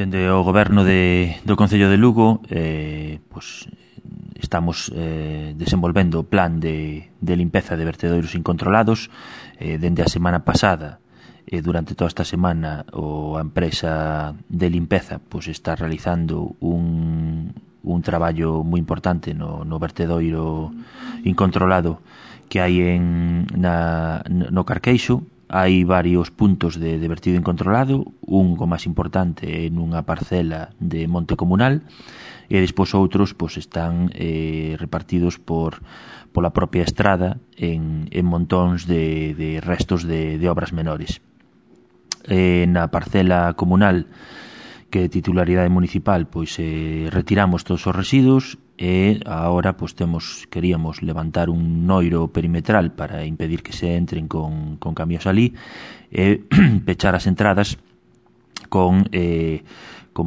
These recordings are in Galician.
Dende o goberno do Concello de Lugo estamos desenvolvendo o plan de limpeza de vertedoiros incontrolados. Dende a semana pasada e durante toda esta semana a empresa de limpeza está realizando un traballo moi importante no vertedoiro incontrolado que hai no Carqueixo. Hai varios puntos de vertido incontrolado, un o máis importante nunha parcela de monte comunal, e despois outros están repartidos pola propia estrada en montóns de restos de obras menores. Na parcela comunal, que é titularidade municipal, retiramos todos os residuos e agora queríamos levantar un noiro perimetral para impedir que se entren con camións ali e pechar as entradas con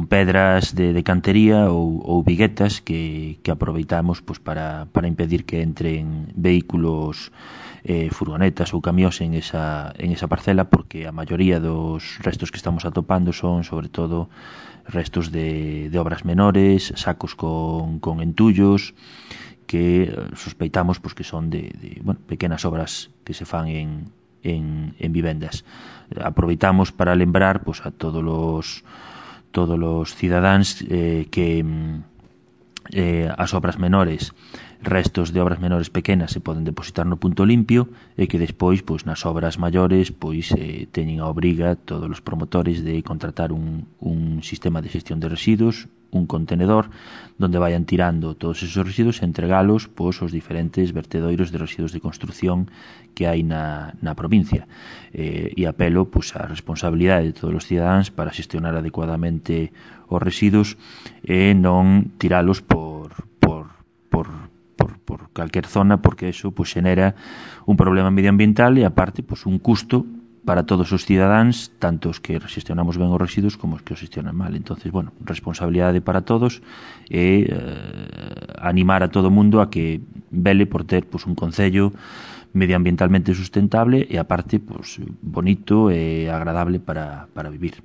pedras de cantería ou viguetas que aproveitamos para impedir que entren vehículos, furgonetas ou camións en esa parcela, porque a maioría dos restos que estamos atopando son sobre todo restos de obras menores, sacos con entullos que sospeitamos que son de pequenas obras que se fan en vivendas. Aproveitamos para lembrar a todos os cidadáns que as obras menores, restos de obras menores pequenas, se poden depositar no punto limpio, e que despois nas obras maiores teñen a obriga todos os promotores de contratar un sistema de xestión de residuos, un contenedor donde vayan tirando todos esos residuos e entregalos aos diferentes vertedoiros de residuos de construción que hai na provincia. E apelo a responsabilidade de todos os cidadáns para xestionar adecuadamente os residuos e non tiralos por calquer zona, porque eso xenera un problema medioambiental e aparte un custo para todos os cidadáns, tanto os que xestionamos ben os residuos como os que os xestionan mal. Entonces, responsabilidade para todos e animar a todo o mundo a que vele por ter un concello medioambientalmente sustentable e aparte bonito e agradable para vivir.